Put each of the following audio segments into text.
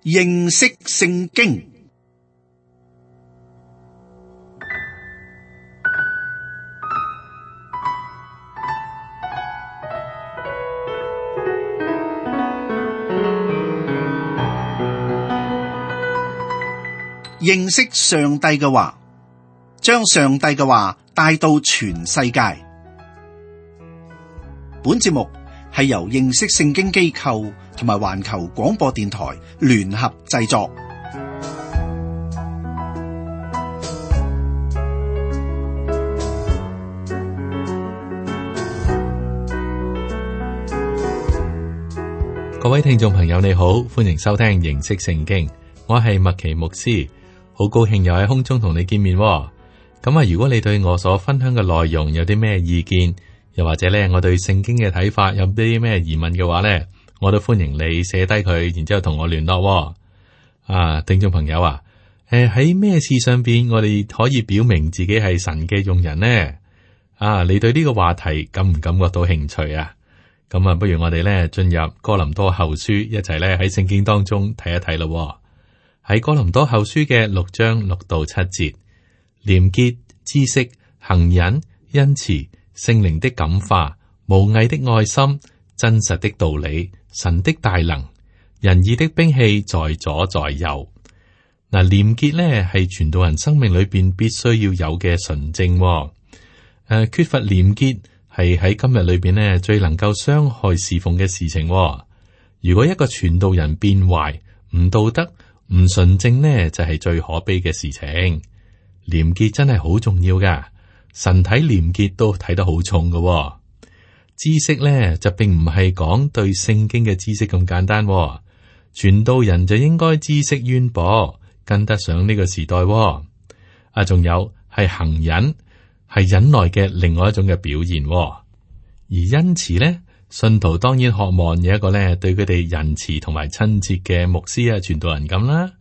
認識聖經。認識上帝嘅話，將上帝嘅話帶到全世界。本節目係由認識聖經機構同埋環球廣播電台聯合製作。各位聽眾朋友，你好，歡迎收聽認識聖經，我係麥奇牧師，好高興又喺空中同你見面。咁啊，如果你對我所分享嘅內容有啲咩意見，又或者咧我對聖經嘅睇法有啲咩疑問嘅話咧，我都歡迎你寫低佢，然之後同我聯絡。聽眾朋友啊，喺咩事上邊我哋可以表明自己係神嘅用人呢？你對呢個話題感唔感覺到興趣啊？咁啊，不如我哋咧進入哥林多後書，一齊咧喺聖經當中睇一睇咯。喺哥林多後書嘅6章6到7節，廉潔、知識、恆忍、恩慈、聖靈的感化、無偽的愛心、真實的道理、神的大能、仁義的兵器在左在右。嗱，廉潔咧係傳道人生命裏邊必須要有嘅純正。缺乏廉潔係喺今日裏邊咧最能夠傷害侍奉嘅事情。如果一個傳道人變壞、唔道德、唔純正呢，就係最可悲嘅事情。廉潔真係好重要噶，神睇廉潔都睇得好重噶。知識呢，就並唔係講對聖經嘅知識咁簡單。傳道人就應該知識淵博，跟得上呢個時代。仲有係恆忍，係忍耐嘅另外一種嘅表現。而恩慈呢，信徒當然渴望有一個咧對佢哋仁慈同埋親切嘅牧師傳道人咁啦。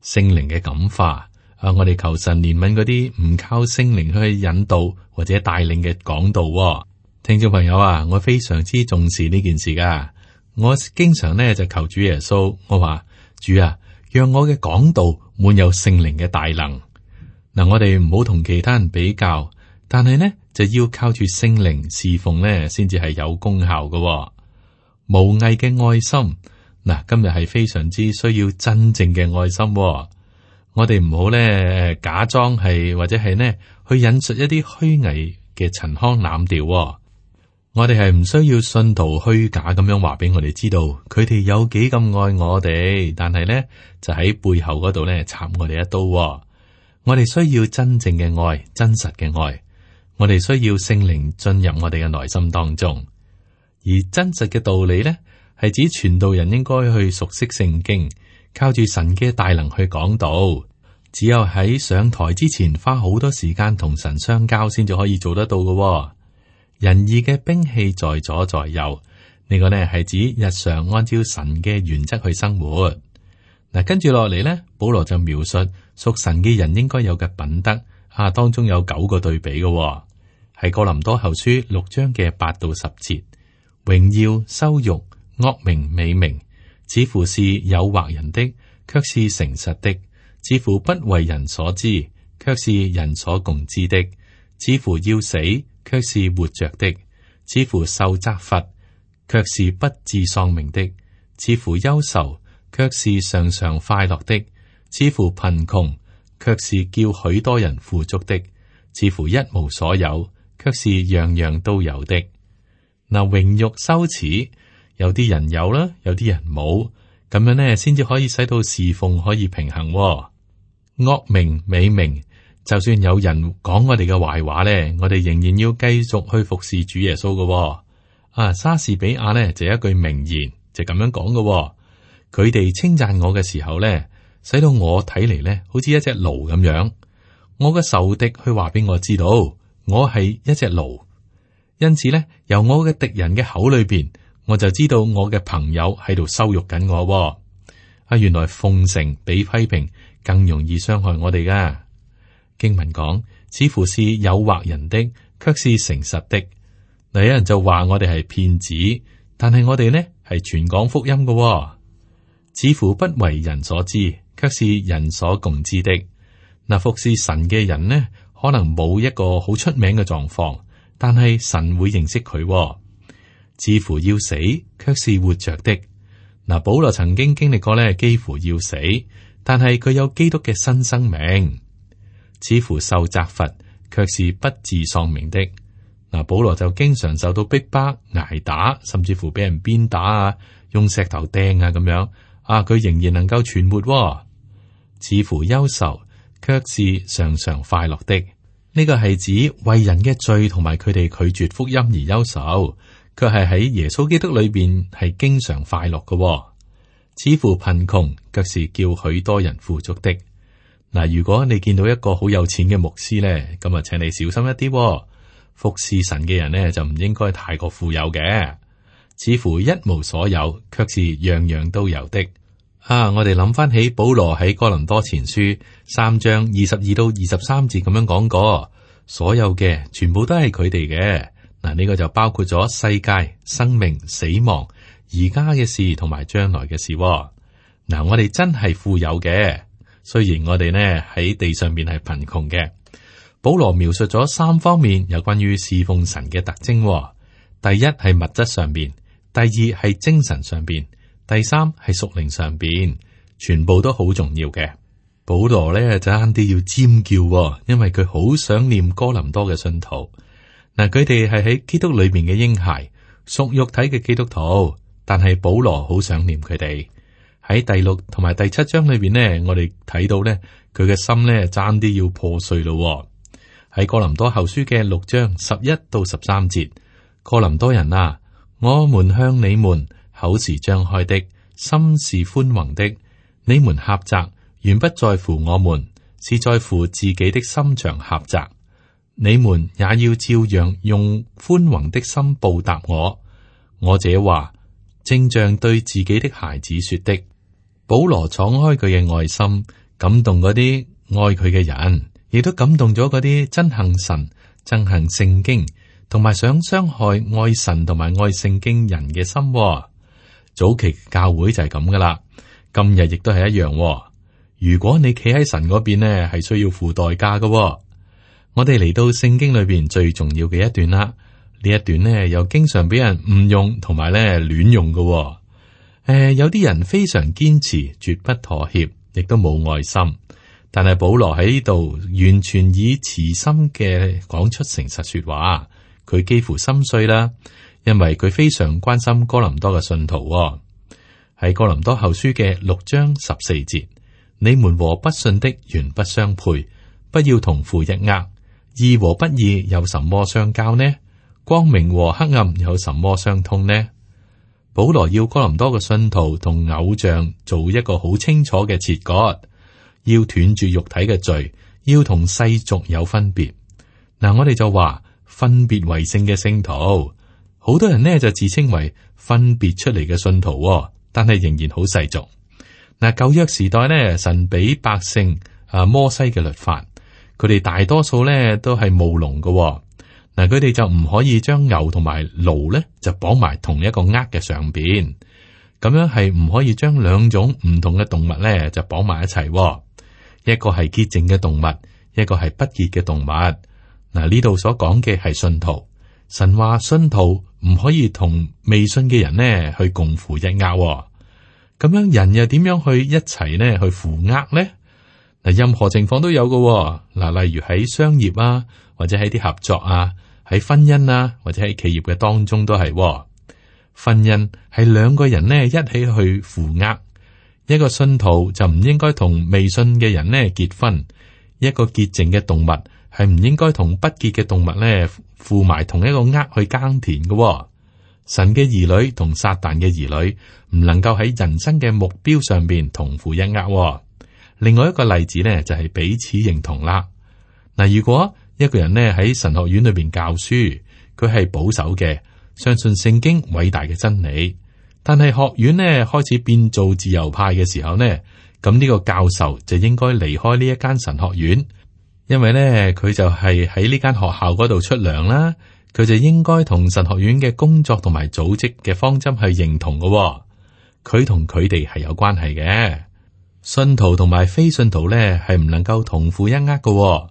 聖靈嘅感化，我哋求神憐憫嗰啲唔靠聖靈去引導或者帶領嘅講道。聽眾朋友啊，我非常之重視呢件事噶。我經常呢就求主耶穌，我話主啊，讓我嘅講道滿有聖靈嘅大能。嗱，我哋唔好同其他人比較，但係呢就要靠住聖靈侍奉呢，先至係有功效嘅。無偽嘅愛心，嗱，今日係非常之需要真正嘅愛心。我哋唔好咧假裝係或者係呢去引述一啲虛偽嘅陳腔濫調。我哋係唔需要信徒虛假咁樣話俾我哋知道，佢哋有幾咁愛我哋，但係呢就喺背後嗰度咧插我哋一刀。我哋需要真正嘅愛，真實嘅愛。我哋需要聖靈進入我哋嘅內心當中，而真實嘅道理呢，係指傳道人應該去熟悉聖經，靠住神嘅大能去講道。只有喺上台之前花好多時間同神相交，先至可以做得到嘅。仁義嘅兵器在左在右，呢個呢係指日常按照神嘅原則去生活。嗱，跟住落嚟呢，保羅就描述屬神嘅人應該有嘅品德。當中有9個對比嘅，係哥林多後書6章嘅8到10節。榮耀、羞辱、惡名、美名，似乎是誘惑人的，卻是誠實的；似乎不為人所知，卻是人所共知的；似乎要死，卻是活着的；似乎受責罰，卻是不致喪命的；似乎憂愁，卻是常常快樂的；似乎貧窮，卻是叫許多人富足的；似乎一無所有，卻是樣樣都有的。嗱，榮辱羞恥，有啲人有啦，有啲人冇，咁樣呢，先至可以使到侍奉可以平衡。惡名美名，就算有人講我哋嘅壞話呢，我哋仍然要繼續去服侍主耶穌嘅。莎士比亞呢就有一句名言，就咁樣講嘅。佢哋稱讚我嘅時候呢，使到我睇嚟呢，好似一隻驢咁樣。我嘅仇敵去話俾我知道，我係一隻驢。因此呢，由我嘅敵人嘅口裏邊，我就知道我嘅朋友喺度羞辱緊我。原來奉承比批評更容易傷害我哋噶。經文講，似乎是誘惑人的，卻是誠實的。有人就話我哋係騙子，但係我哋呢係傳講福音嘅。似乎不為人所知，卻是人所共知的。嗱，服侍神嘅人呢，可能冇一個好出名嘅狀況，但係神會認識佢。似乎要死，卻是活着的。嗱，保羅曾經經歷過咧，幾乎要死，但係佢有基督嘅新生命。似乎受責罰，卻是不致喪命的。嗱，保羅就經常受到逼迫、挨打，甚至乎俾人鞭打啊，用石頭掟啊咁樣。佢仍然能夠存活。似乎憂愁，卻是常常快樂的。呢個係指為人嘅罪同埋佢哋拒絕福音而憂愁，卻係喺耶穌基督裏邊係經常快樂嘅。似乎貧窮，卻是叫許多人富足的。嗱，如果你見到一個好有錢嘅牧師咧，咁啊，請你小心一啲。服侍神嘅人呢，就唔應該太過富有嘅。似乎一無所有，卻是樣樣都有的。我哋諗翻起保羅喺哥林多前書3章22到23節咁樣講過，所有嘅全部都係佢哋嘅。嗱，呢個就包括咗世界、生命、死亡、而家嘅事同埋將來嘅事。嗱，我哋真係富有嘅，雖然我哋呢喺地上面係貧窮嘅。保羅描述咗3方面有關於侍奉神嘅特徵。第一係物質上邊，第二係精神上邊，第三係屬靈上邊，全部都好重要嘅。保羅咧就啱啲要尖叫，因為佢好想念哥林多嘅信徒。嗱，佢哋係喺基督裏面嘅嬰孩，屬肉體嘅基督徒，但係保羅好想念佢哋。喺第6同埋第7章裏邊呢，我哋睇到咧佢嘅心咧爭啲要破碎咯。喺哥林多後書嘅6章11到13節，哥林多人啊，我們向你們口是張開的，心是寬宏的。你們狹窄，原不在乎我們，是在乎自己的心腸狹窄。你們也要照樣用寬宏的心報答我。我這話正像對自己的孩子說的。保羅敞開佢嘅愛心，感動嗰啲愛佢嘅人。亦都感動咗嗰啲憎恨神、憎恨聖經，同埋想傷害愛神同埋愛聖經人嘅心。早期教會就係咁噶啦，今日亦都係一樣。如果你企喺神嗰邊呢，係需要付代價噶。我哋嚟到聖經裏邊最重要嘅一段啦，呢一段呢又經常俾人誤用同埋咧亂用噶。有啲人非常堅持，絕不妥協，亦都冇愛心。但係保羅喺呢度完全以慈心嘅講出誠實說話，佢幾乎心碎啦，因為佢非常關心哥林多嘅信徒。喺哥林多後書嘅6章14節，你們和不信的原不相配，不要同負一軛。義和不義有什麼相交呢？光明和黑暗有什麼相通呢？保羅要哥林多嘅信徒同偶像做一個好清楚嘅切割。要斷絕肉體嘅罪，要同世俗有分別。嗱，我哋就話分別為聖嘅聖徒，好多人呢就自稱為分別出嚟嘅信徒，但係仍然好世俗。嗱，舊約時代呢，神俾百姓摩西嘅律法，佢哋大多數呢都係務農嘅。嗱，佢哋就唔可以將牛同埋驢呢就綁埋同一個軛嘅上邊，咁樣係唔可以將兩種唔同嘅動物呢就綁埋一齊。一個係潔淨嘅動物，一個係不潔嘅動物。嗱，呢度所講嘅係信徒。神話信徒唔可以同未信嘅人呢去共負一軛。咁樣人又點樣去一齊呢去負軛呢？嗱，任何情況都有嘅。嗱，例如喺商業啊，或者喺啲合作啊，喺婚姻啊，或者喺企業嘅當中都係。婚姻係兩個人呢一起去負軛。一個信徒就唔應該同未信嘅人呢結婚，一個潔淨嘅動物係唔應該同不潔嘅動物呢負埋同一個軛去耕田嘅。神嘅兒女同撒旦嘅兒女唔能夠喺人生嘅目標上邊同負一軛。另外一個例子呢就係彼此認同啦。嗱，如果一個人呢喺神學院裏邊教書，佢係保守嘅，相信聖經偉大嘅真理。但係學院呢開始變做自由派嘅時候呢，咁呢個教授就應該離開呢一間神學院，因為呢佢就係喺呢間學校嗰度出糧啦，佢就應該同神學院嘅工作同埋組織嘅方針去認同嘅。佢同佢哋係有關係嘅。信徒同埋非信徒咧係唔能夠同負一軛嘅。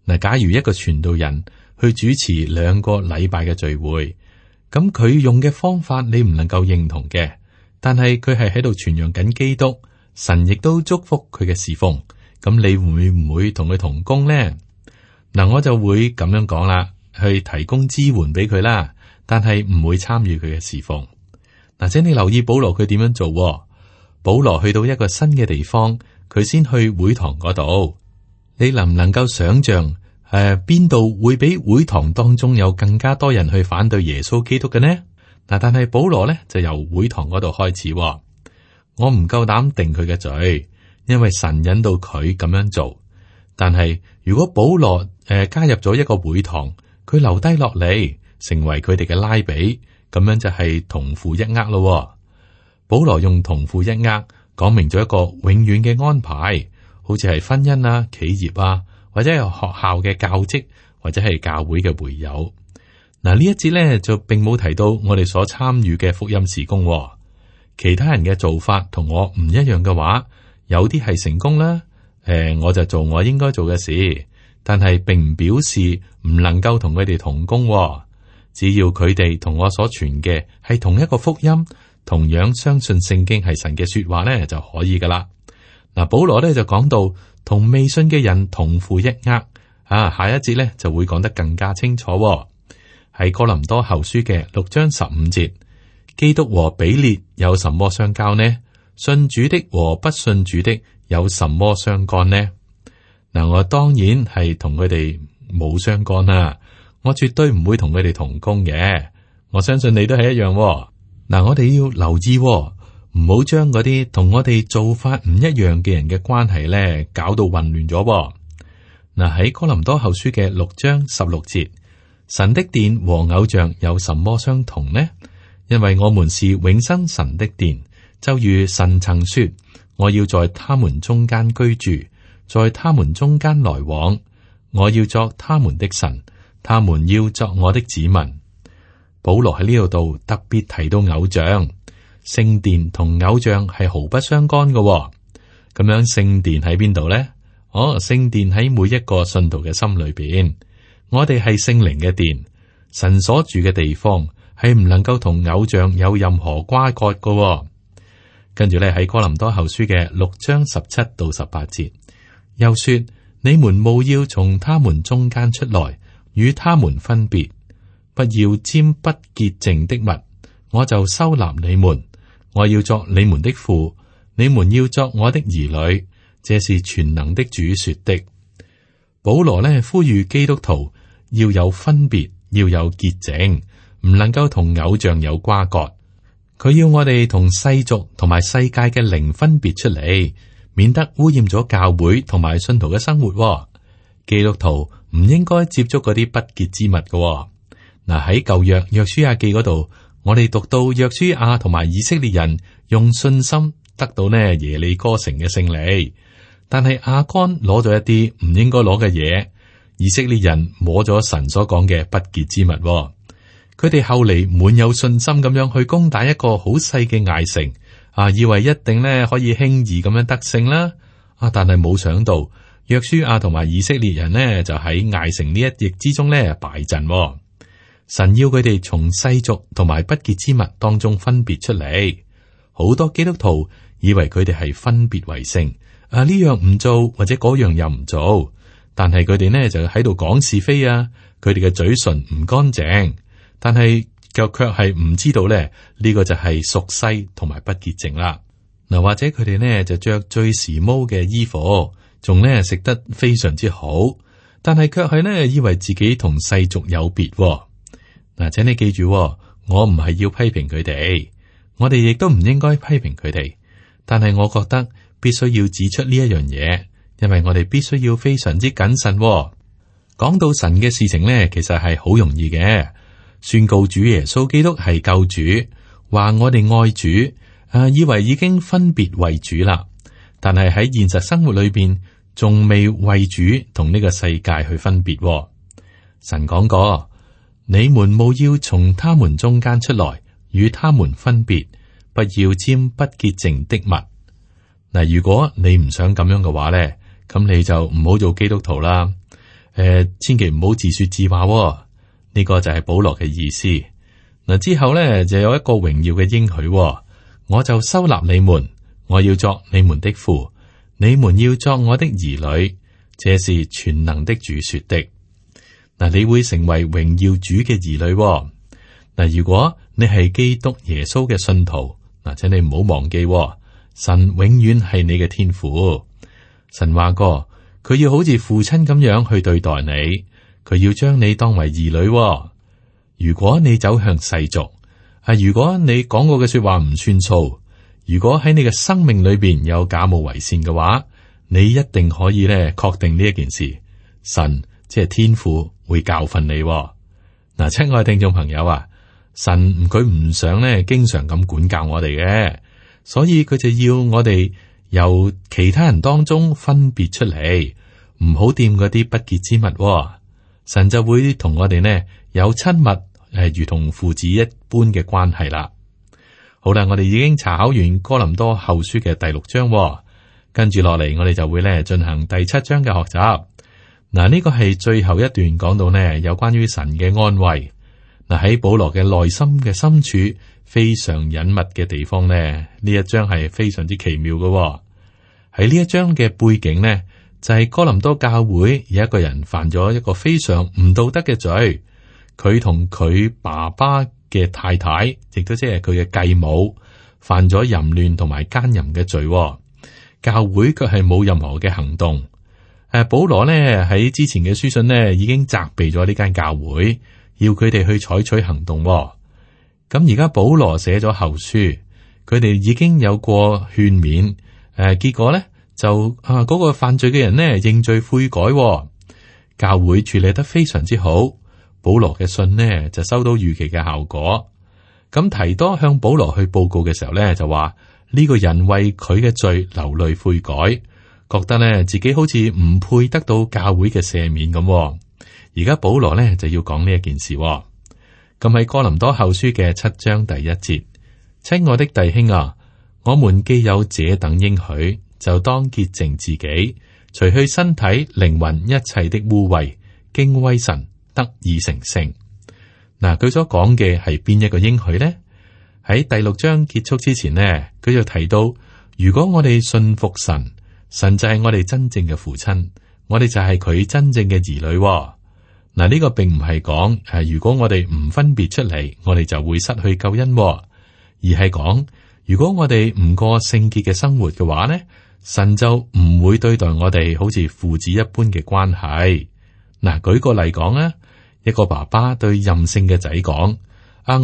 嗱，假如一個傳道人去主持2個禮拜嘅聚會，咁佢用嘅方法你唔能夠認同嘅，但係佢係喺度傳揚緊基督，神亦都祝福佢嘅侍奉，咁你會唔會同佢同工呢？嗱，我就會咁樣講啦，去提供支援俾佢啦，但係唔會參與佢嘅侍奉。嗱，請你留意保羅佢點樣做。保羅去到一個新嘅地方，佢先去會堂嗰度。你能唔能夠想象邊度會比會堂當中有更加多人去反對耶穌基督嘅呢？嗱，但係保羅咧就由會堂嗰度開始。我唔夠膽定佢嘅罪，因為神引導佢咁樣做。但係如果保羅加入咗一個會堂，佢留低落嚟，成為佢哋嘅拉比，咁樣就係同負一軛咯。保羅用同負一軛講明咗一個永遠嘅安排，好似係婚姻啊、企業啊，或者係學校嘅教職，或者係教會嘅會友。嗱，呢一節咧就並冇提到我哋所參與嘅福音事工。其他人嘅做法同我唔一樣嘅話，有啲係成功啦。我就做我應該做嘅事，但係並唔表示唔能夠同佢哋同工。只要佢哋同我所傳嘅係同一個福音，同樣相信聖經係神嘅說話咧就可以噶啦。嗱，保羅咧就講到同未信嘅人同負一軛啊，下一節咧就會講得更加清楚。喺哥林多後書嘅6章15節，基督和比列有什麼相交呢？信主的和不信主的有什麼相干呢？嗱，我當然係同佢哋冇相干啦，我絕對唔會同佢哋同工嘅。我相信你都係一樣。嗱，我哋要留意，唔好將嗰啲同我哋做法唔一樣嘅人嘅關係咧，搞到混亂咗。嗱，喺哥林多後書嘅6章16節，神的殿和偶像有什麼相同呢？因為我們是永生神的殿，就如神曾說，我要在他們中間居住，在他們中間來往，我要作他們的神，他們要作我的子民。保羅喺呢度特別提到偶像，聖殿同偶像係毫不相干嘅。咁樣聖殿喺邊度呢？聖殿喺每一個信徒嘅心裏邊。我哋係聖靈嘅殿，神所住嘅地方係唔能夠同偶像有任何瓜葛嘅。跟住咧喺哥林多後書嘅6章17到18節，又說：你們務要從他們中間出來，與他們分別。不要沾不潔淨的物，我就收納你們。我要作你們的父，你們要作我的兒女。這是全能的主說的。保羅呢呼籲基督徒要有分別，要有潔淨，唔能夠同偶像有瓜葛。佢要我哋同世俗同埋世界嘅靈分別出嚟，免得污染咗教會同埋信徒嘅生活。基督徒唔應該接觸嗰啲不潔之物嘅。嗱，喺舊約約書亞記嗰度，我哋讀到約書亞同埋以色列人用信心得到呢耶利哥城嘅勝利，但係亞干攞咗一啲唔應該攞嘅嘢，以色列人摸咗神所講嘅不潔之物。佢哋後嚟滿有信心咁樣去攻打一個好細嘅艾城，以為一定呢可以輕易咁樣得勝啦。但係冇想到約書亞同埋以色列人呢就喺艾城呢一役之中呢敗陣。神要佢哋從世俗同埋不潔之物當中分別出嚟。好多基督徒以為佢哋係分別為聖，呢樣唔做或者嗰樣又唔做，但係佢哋呢就喺度講是非啊。佢哋嘅嘴唇唔乾淨，但係卻係唔知道咧呢個就係屬世同埋不潔淨啦。嗱，或者佢哋呢就着最時髦嘅衣服，仲呢食得非常之好，但係卻係呢以為自己同世俗有別。嗱，請你記住，我唔係要批評佢哋，我哋亦都唔應該批評佢哋。但係我覺得必須要指出呢一樣嘢，因為我哋必須要非常之謹慎。講到神嘅事情呢，其實係好容易嘅，宣告主耶穌基督係救主，話我哋愛主，以為已經分別為主啦。但係喺現實生活裏邊，仲未為主同呢個世界去分別。神講過。你們務要從他們中間出來，與他們分別，不要沾不潔淨的物。嗱，如果你唔想咁樣嘅話咧，咁你就唔好做基督徒啦。千祈唔好自說自話。呢個就係保羅嘅意思。嗱，之後咧就有一個榮耀嘅應許，我就收納你們，我要作你們的父，你們要作我的兒女。這是全能的主說的。嗱，你會成為榮耀主嘅兒女。嗱，如果你係基督耶穌嘅信徒，嗱，請你唔好忘記，神永遠係你嘅天父。神話過，佢要好似父親咁樣去對待你，佢要將你當為兒女。如果你走向世俗，如果你講過嘅說話唔算數，如果喺你嘅生命裏邊有假冒為善嘅話，你一定可以咧確定呢一件事，神即係天父會教訓你。嗱，親愛嘅聽眾朋友啊，神佢唔想咧經常咁管教我哋嘅，所以佢就要我哋由其他人當中分別出嚟，唔好掂嗰啲不潔之物。神就會同我哋呢有親密如同父子一般嘅關係啦。好啦，我哋已經查考完哥林多後書嘅第6章，跟住落嚟我哋就會咧進行第7章嘅學習。嗱，呢個係最後一段講到呢有關於神嘅安慰。嗱，喺保羅嘅內心嘅深處非常隱密嘅地方呢，呢一章係非常之奇妙嘅。喺呢一章嘅背景呢，就係哥林多教會有一個人犯咗一個非常唔道德嘅罪，佢同佢爸爸嘅太太，亦都即係佢嘅繼母，犯咗淫亂同埋奸淫嘅罪。教會卻係冇任何嘅行動。保羅呢喺之前嘅書信呢已經責備咗呢間教會，要佢哋去採取行動。咁而家保羅寫咗後書，佢哋已經有過勸勉。結果呢就嗰個犯罪嘅人呢認罪悔改。教會處理得非常之好。保羅嘅信呢就收到預期嘅效果。咁提多向保羅去報告嘅時候呢，就話呢個人為佢嘅罪流淚悔改，覺得呢自己好似唔配得到教會嘅赦免咁。而家保羅呢就要講呢一件事。咁喺哥林多後書嘅7章第1節，親愛的弟兄啊，我們既有這等應許，就當潔淨自己，除去身體靈魂一切的污穢，敬畏神，得以成聖。嗱，佢所講嘅係邊一個應許呢？喺第6章結束之前呢，佢就提到，如果我哋信服神，神就係我哋真正嘅父親，我哋就係佢真正嘅兒女。嗱，呢個並唔係講如果我哋唔分別出嚟，我哋就會失去救恩，而係講如果我哋唔過聖潔嘅生活嘅話呢，神就唔會對待我哋好似父子一般嘅關係。嗱，舉個例講啊，一個爸爸對任性嘅仔講：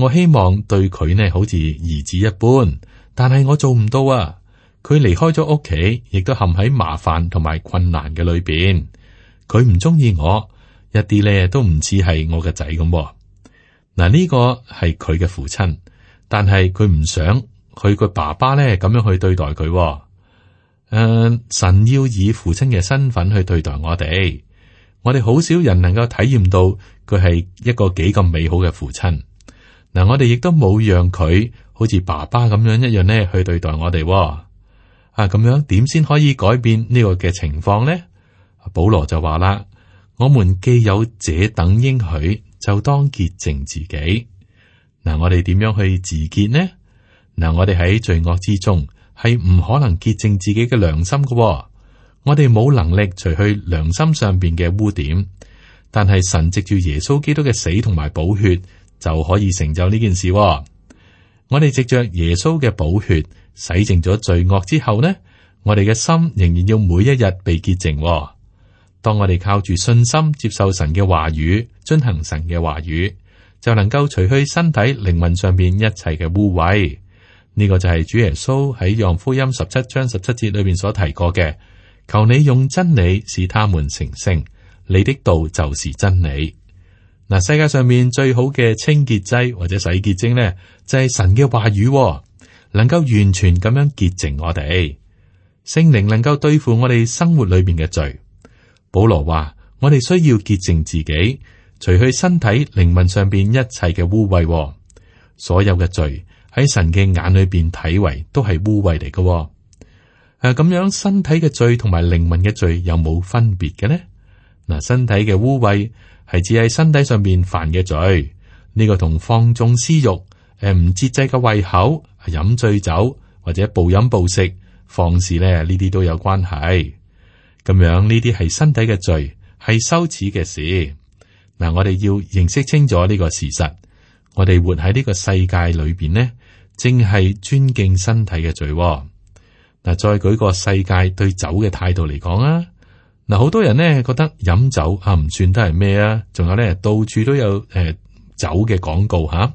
我希望對佢呢好似兒子一般，但係我做唔到啊！佢離開咗屋企，亦都陷喺麻煩同埋困難嘅裏邊。佢唔中意我，一啲咧都唔似係我嘅仔咁。嗱，呢個係佢嘅父親，但係佢唔想佢個爸爸咧咁樣去對待佢。神要以父親嘅身份去對待我哋。我哋好少人能夠體驗到佢係一個幾咁美好嘅父親。嗱，我哋亦都冇讓佢好似爸爸咁樣一樣咧去對待我哋。咁樣點先可以改變呢個嘅情況呢？保羅就話啦：我們既有這等應許，就當潔淨自己。嗱，我哋點樣去自潔呢？嗱，我哋喺罪惡之中係唔可能潔淨自己嘅良心嘅。我哋冇能力除去良心上邊嘅污點，但係神藉住耶穌基督嘅死同埋寶血就可以成就呢件事。我哋藉着耶穌嘅寶血洗淨咗罪惡之後呢，我哋嘅心仍然要每一日被潔淨。當我哋靠住信心接受神嘅話語，遵行神嘅話語，就能夠除去身體靈魂上邊一切嘅污穢。呢個就係主耶穌喺約翰福音17章17節裏邊所提過嘅。求你用真理使他們成聖，你的道就是真理。嗱，世界上面最好嘅清潔劑或者洗潔精呢，就係神嘅話語，能夠完全咁樣潔淨我哋。聖靈能夠對付我哋生活裏邊嘅罪。保羅話：我哋需要潔淨自己，除去身體靈魂上邊一切嘅污穢。所有嘅罪喺神嘅眼裏邊睇為都係污穢嚟嘅。咁樣身體嘅罪同埋靈魂嘅罪有冇分別嘅呢？嗱，身體嘅污穢係指喺身體上邊犯嘅罪，呢個同放縱私欲、唔節制嘅胃口、飲醉酒或者暴飲暴食、放肆咧，呢啲都有關係。咁樣呢啲係身體嘅罪，係羞恥嘅事。嗱，我哋要認識清楚呢個事實。我哋活喺呢個世界裏邊呢，正係尊敬身體嘅罪。嗱，再舉個世界對酒嘅態度嚟講啊。嗱，好多人呢覺得飲酒唔算得係咩啊，仲有咧到處都有酒嘅廣告吓，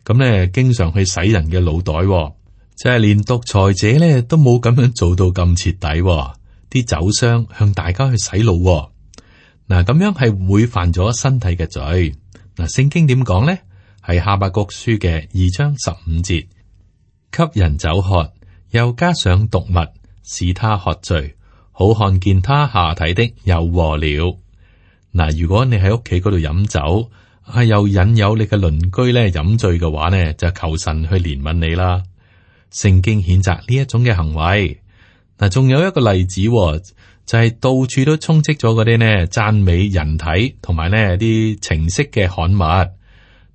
咁咧經常去洗人嘅腦袋，即係連獨裁者咧都冇咁樣做到咁徹底。啲酒商向大家去洗腦，嗱，咁樣係會犯咗身體嘅罪。嗱，聖經點講咧？係哈巴谷書嘅2章15節，給人酒喝，又加上毒物，使他喝醉，好看見他下體的有禍了。嗱，如果你喺屋企嗰度飲酒，又引誘你嘅鄰居咧飲醉嘅話呢，就求神去憐憫你啦。聖經譴責呢一種嘅行為。嗱，仲有一個例子，就係到處都充斥咗嗰啲呢讚美人體同埋呢啲情色嘅刊物。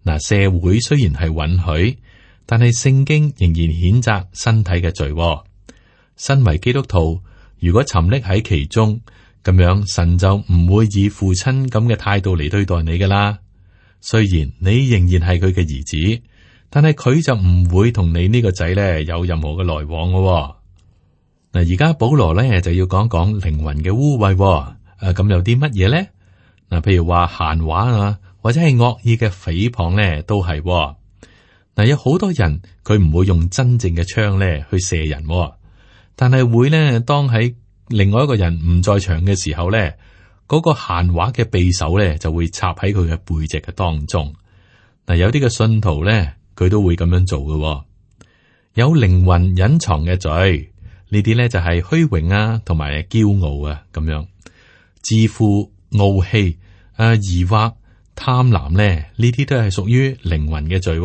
嗱，社會雖然係允許，但係聖經仍然譴責身體嘅罪。身為基督徒，如果沉溺喺其中，咁樣神就唔會以父親咁嘅態度嚟對待你噶啦。雖然你仍然係佢嘅兒子，但係佢就唔會同你呢個仔咧有任何嘅來往嘅。嗱，而家保羅咧就要講講靈魂嘅污穢。咁有啲乜嘢咧？嗱，譬如話閒話啊，或者係惡意嘅誹謗咧，都係。嗱，有好多人佢唔會用真正嘅槍咧去射人，但係會咧當喺另外一個人唔在場嘅時候咧，嗰個閒話嘅匕首咧就會插喺佢嘅背脊嘅當中。嗱，有啲嘅信徒咧，佢都會咁樣做嘅。有靈魂隱藏嘅罪，呢啲咧就係虛榮啊，同埋驕傲啊，咁樣自負、傲氣、疑惑、貪婪咧，呢啲都係屬於靈魂嘅罪。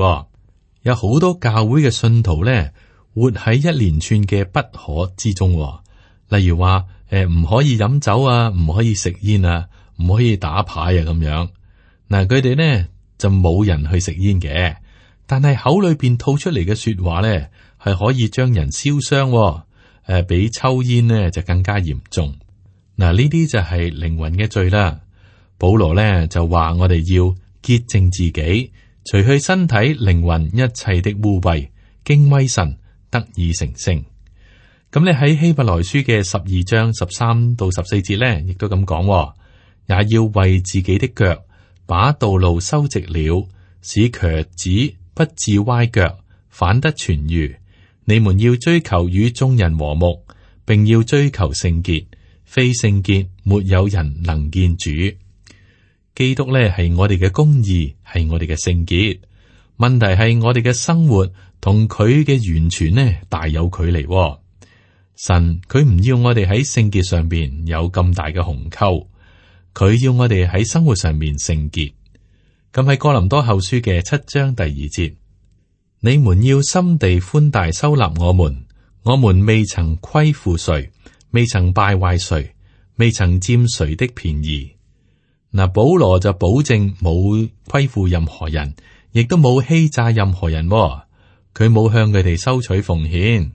有好多教會嘅信徒咧，活喺一連串嘅不可之中。例如話唔可以飲酒啊，唔可以食煙啊，唔可以打牌啊，咁樣。嗱，佢哋呢就冇人去食煙嘅，但係口裏邊吐出嚟嘅說話咧，係可以將人燒傷。比抽煙呢就更加嚴重。嗱，呢啲就係靈魂嘅罪啦。保羅咧就話我哋要潔淨自己，除去身體、靈魂一切的污穢，敬畏神，得以成聖。咁你喺希伯來書嘅12章13到14節咧，亦都咁講，也要為自己的腳把道路修直了，使瘸子不致歪腳，反得痊癒。你們要追求與眾人和睦，並要追求聖潔，非聖潔沒有人能見主。基督咧係我哋嘅公義，係我哋嘅聖潔。問題係我哋嘅生活同佢嘅完全呢大有距離。神佢唔要我哋喺聖潔上邊有咁大嘅鴻溝，佢要我哋喺生活上面聖潔。咁喺哥林多後書嘅7章第2節。你們要心地寬大收納我們，我們未曾虧負誰，未曾敗壞誰，未曾佔誰的便宜。嗱，保羅就保證冇虧負任何人，亦都冇欺詐任何人。佢冇向佢哋收取奉獻。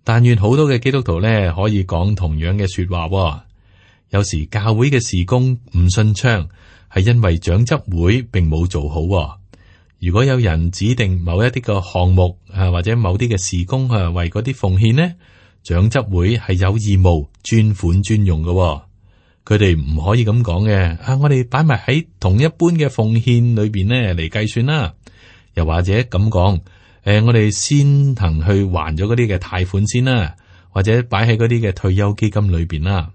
但願好多嘅基督徒咧可以講同樣嘅說話。有時教會嘅事工唔順暢，係因為長執會並冇做好。如果有人指定某一啲嘅項目或者某啲嘅事工為嗰啲奉獻呢，長執會係有義務專款專用嘅。佢哋唔可以咁講嘅。我哋擺埋喺同一般嘅奉獻裏邊呢嚟計算啦。又或者咁講，我哋先行去還咗嗰啲嘅貸款先啦，或者擺喺嗰啲嘅退休基金裏邊啦。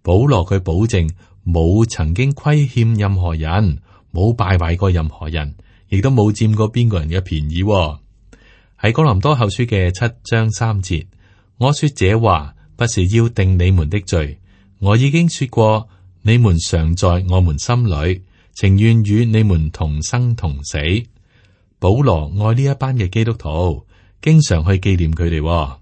保羅佢保證冇曾經虧欠任何人，冇敗壞過任何人。亦都冇佔過邊個人嘅便宜。喺哥林多後書嘅7章3節，我說這話不是要定你們的罪，我已經說過，你們常在我們心裏，情願與你們同生同死。保羅愛呢一班嘅基督徒，經常去紀念佢哋。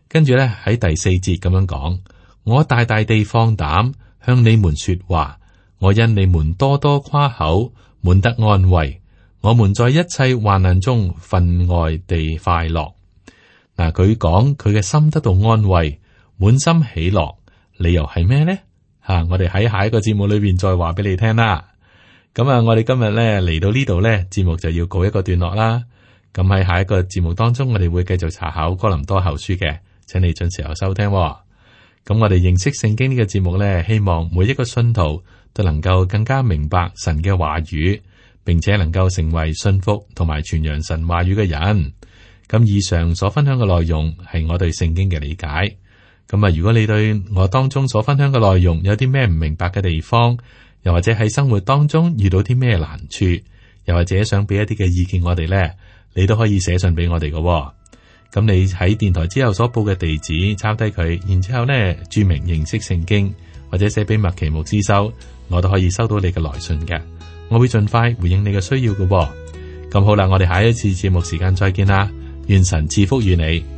跟住咧喺第4節咁樣講：我大大地放膽向你們說話，我因你們多多誇口，滿得安慰。我們在一切患難中分外地快樂。嗱，佢講佢嘅心得到安慰，滿心喜樂。理由係咩呢？我哋喺下一個節目裏邊再話俾你聽啦。咁啊，我哋今日咧嚟到呢度咧，節目就要告一個段落啦。咁喺下一個節目當中，我哋會繼續查考哥林多後書嘅，請你準時候收聽。咁我哋認識聖經呢個節目咧，希望每一個信徒都能夠更加明白神嘅話語，並且能夠成為信服同埋傳揚神話語嘅人。咁以上所分享嘅內容係我對聖經嘅理解。咁啊，如果你對我當中所分享嘅內容有啲咩唔明白嘅地方，又或者喺生活當中遇到啲咩難處，又或者想俾一啲嘅意見我哋呢，你都可以寫信俾我哋嘅。咁你喺電台之後所報嘅地址抄低佢，然之後呢注明認識聖經，或者寫俾麥奇牧師收，我都可以收到你嘅來信嘅。我會盡快回應你嘅需要嘅。咁好啦，我哋下一次節目時間再見啦，願神賜福與你。